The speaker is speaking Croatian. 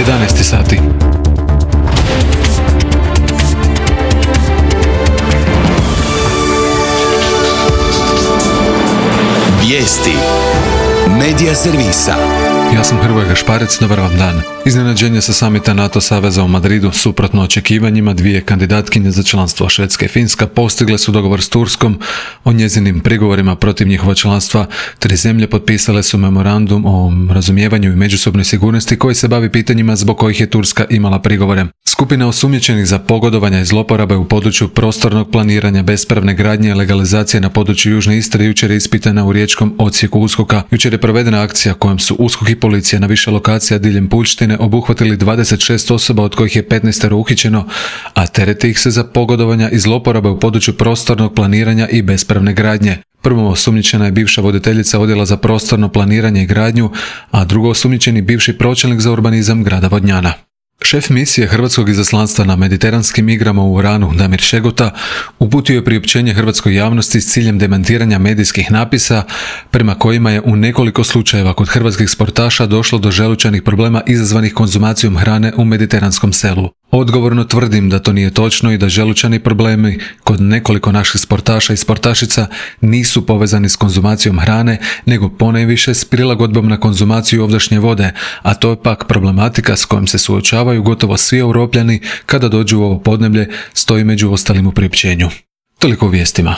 11 sati. Vijesti Medija servisa. Ja sam Hrvoje Gašparec, dobar vam dan. Iznenađenje sa samita NATO saveza u Madridu, suprotno očekivanjima, dvije kandidatkinje za članstvo Švedska i Finska postigle su dogovor s Turskom o njezinim prigovorima protiv njihova članstva. 3 zemlje potpisale su memorandum o razumijevanju i međusobnoj sigurnosti koji se bavi pitanjima zbog kojih je Turska imala prigovore. Skupina osumnjičenih za pogodovanja i zloporabe u području prostornog planiranja, bespravne gradnje i legalizacije na području Južne Istre jučer je ispitana u riječkom odsjeku USKOK-a. Jučer je provedena akcija kojom su USKOK i policija na više lokacija diljem Puljštine obuhvatili 26 osoba, od kojih je 15 uhićeno, a tereti ih se za pogodovanja i zloporabe u području prostornog planiranja i bespravne gradnje. Prvo osumnjičena je bivša voditeljica odjela za prostorno planiranje i gradnju, a drugo osumnjičeni bivši pročelnik za urbanizam grada Vodnjana. Šef misije hrvatskog izaslanstva na mediteranskim igrama u Uranu, Damir Šegota, uputio je priopćenje hrvatskoj javnosti s ciljem demantiranja medijskih napisa prema kojima je u nekoliko slučajeva kod hrvatskih sportaša došlo do želučanih problema izazvanih konzumacijom hrane u mediteranskom selu. Odgovorno tvrdim da to nije točno i da želučani problemi kod nekoliko naših sportaša i sportašica nisu povezani s konzumacijom hrane, nego ponajviše s prilagodbom na konzumaciju ovdašnje vode, a to je pak problematika s kojom se suočavaju gotovo svi Europljani kada dođu u ovo podneblje, stoji među ostalim u priopćenju. Toliko u vijestima.